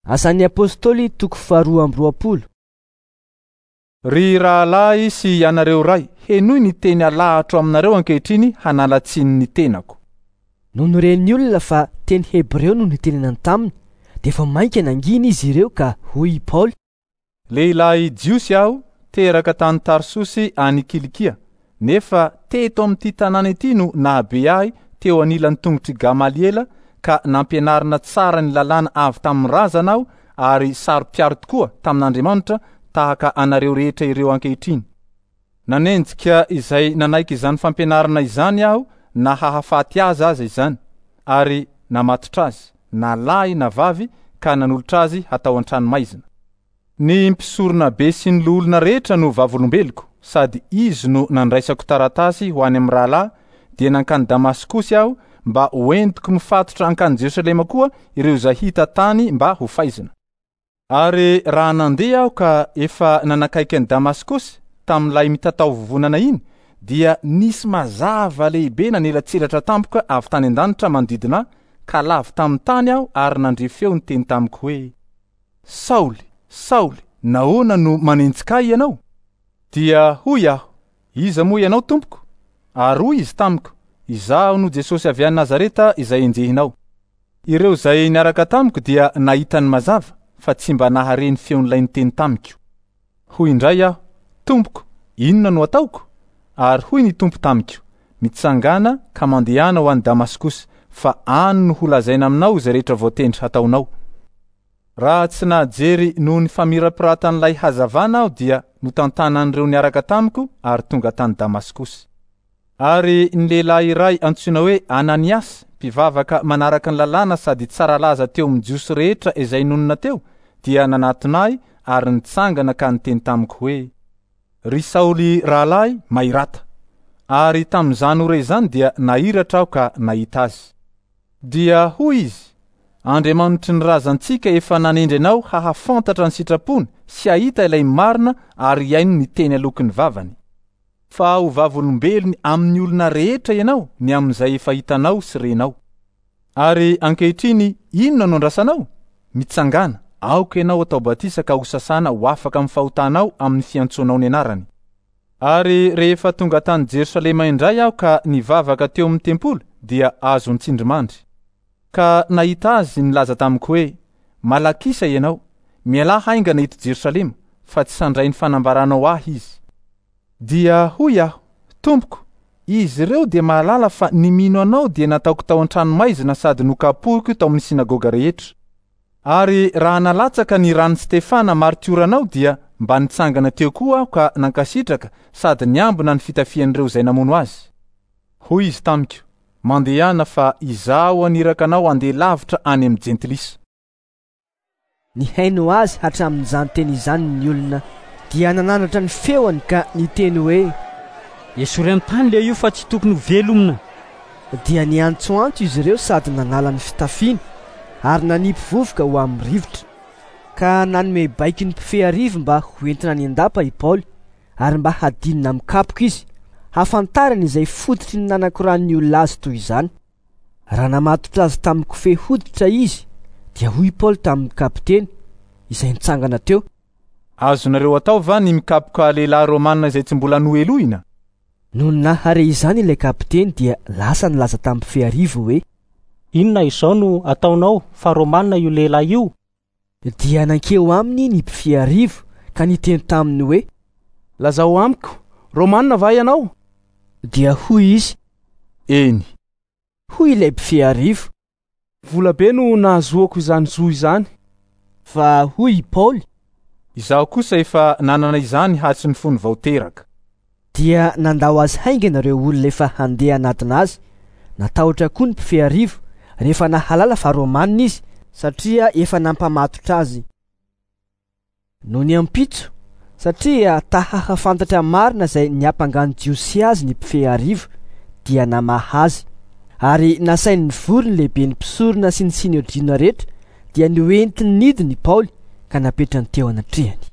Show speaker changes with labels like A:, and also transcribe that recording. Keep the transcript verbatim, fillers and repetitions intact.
A: Asan'ny Apôstôly toko faharoa amby roapolo.
B: Ry rahalahy sy ianareo ray, henoy ny teny alahatro aminareo ankehitriny hanala tsiny ny tenako.
A: Nony ren'ny olona fa teny hebreo no nitenenany taminy, dia vao mainka nangina izy ireo ka hoy i Paoly:
B: Lehilahy jiosy aho, teraka tany Tarsosy any Kilikia, nefa teto amin'ity tanàna ity no nahabe ahy teo anilan'ny tongotr'i Gamaliela ka nampianarina tsara ny lalàna avy tamin'ny razana aho ary saro-piaro tokoa tamin'Andriamanitra tahaka anareo rehetra ireo ankehitriny. Nanenjika izay nanaiky izany fampianarana izany aho na hahafaty azy aza izany, ary namatotra azy, na lahy na vavy, ka nanolotra azy hatao an-tranomaizina. Ny mpisorona be sy ny loholona rehetra no vavolombeloko, sady izy no nandraisako taratasy ho any amin'ny rahalahy, dia nankany Damaskosy aho mba hoentiko mifatotra hankany Jerosalema koa ireo izay hita tany mba ho faizina. Ary raha nandeha aho ka efa nanakaiky an'i Damaskosy tamin'ilay mitatao vovonana iny, dia nisy mazava lehibe nanelatselatra tampoka avy tany an-danitra manodidina ahy, ka lavo tamin'ny tany aho ary nandre feo niteny tamiko hoe: Saoly, Saoly, nahoana no manenjika ahy ianao? Dia hoy aho: Iza moa ianao, tompoko? Ary hoy izy tamiko: Izaho no Jesosy avy any Nazareta izay enjehinao. Ireo izay niaraka tamiko dia nahita ny mazava, fa tsy mba nahare ny feon'ilay niteny tamiko. Hoy indray aho: Tompoko, inona no ataoko? Ary hoy ny Tompo tamiko: Mitsangàna ka mandehana ho any Damaskosy, fa any no holazaina aminao izay rehetra voatendry hataonao. Raha tsy nahajery noho ny famirapiratan'ilay hazavana aho dia notantanan'ireo niaraka tamiko ary tonga tany Damaskosy. Ary ny lehilahy iray antsoina hoe Ananiasy, mpivavaka manaraka ny lalàna sady tsara laza teo amin'ny Jiosy rehetra izay nonina teo, dia nanatona ahy ary nitsangana ka niteny tamiko hoe: Ry Saoly rahalahy, mahirata. Ary tamin'izany ora izany dia nahiratra aho ka nahita azy. Dia hoy izy: Andriamanitry ny razantsika efa nanendry anao hahafantatra ny sitrapony sy hahita ilay marina ary hihaino ny teny aloky ny vavany. Fa ho vavolombelony amin'ny olona rehetra ianao ny amin'izay efa hitanao sy renao. Ary ankehitriny inona no andrasanao? Mitsangàna, aoka ianao atao batisa ka ho sasana ho afaka amin'ny fahotanao amin'ny fiantsoanao ny anarany. Ary rehefa tonga tany Jerosalema indray aho ka nivavaka teo amin'ny tempoly dia azo nitsindrimandry. Ka nahita azy nilaza tamiko hoe: Malakisa ianao, mialà haingana eto Jerosalema, fa tsy handray ny fanambaranao ahy izy. Dia hoy aho: Tompoko, izy ireo dia mahalala fa ny mino anao dia nataoko tao an-tranomaizina sady nokapohiko tao amin'ny synagoga rehetra. Ary raha nalatsaka ny ran'i Stefana martioranao dia mba nitsangana teo koa aho ka nankasitraka sady niambina ny fitafian'ireo izay namono azy. Hoy izy tamiko: Mandehana fa izaho haniraka anao handeha lavitra any amin'ny jentilisa.
A: Nihaino azy hatramin'izany teny izany ny olona, dia nanandratra ny feony ka niteny hoe:
C: Esory amin'ny tany ilay io fa tsy tokony ho velomina.
A: Dia niantsoantso izy ireo sady nanala ny fitafiany ary nanipy vovoka ho amin'ny rivotra. Ka nanome baiko ny mpifehy arivo mba hoentina any an-dapa i Paoly ary mba hadinina amin'ny kapoka izy, hahafantarany izay fototry ny nanakoran'ny olona azy toy izany. Raha namatotra azy tamin'ny kofehy hoditra izy, dia hoy Paoly tamin'ny kapiteny izay nitsangana teo:
B: Azonareo atao va ny mikapoka lehilahy romana izay tsy mbola nohelohina?
A: Nony nahare izany ilay kapiteny dia lasa nilaza tamin'ny mpifehy arivo hoe:
D: Inona izao no ataonao fa romana io lehilahy io?
A: Dia nankeo aminy ny mpifehy arivo ka niteny taminy hoe:
E: Lazao amiko, romana va ianao?
A: Dia hoy izy:
B: Eny.
A: Hoy ilay mpifehy arivo:
E: Vola be no nahazoako izany zo izany.
A: Fa hoy i Paoly:
B: Izaho kosa efa nanana izany hatry ny fony vao teraka.
A: Dia nandao azy haingana ireo olona efa handeha hanatona azy. Natahotra koa ny mpifehy arivo rehefa nahalala fa romanina izy, satria efa nampamatotra azy. Nony ampitso, satria ta hahafantatra marina izay niampangan'ny Jiosy azy ny mpifehy arivo, dia namaha azy. Ary nasainy nivory ny lehiben'ny mpisorona sy ny sinedriona rehetra, dia noentiny nidina i Paoly ka napetrany teo anatrehany.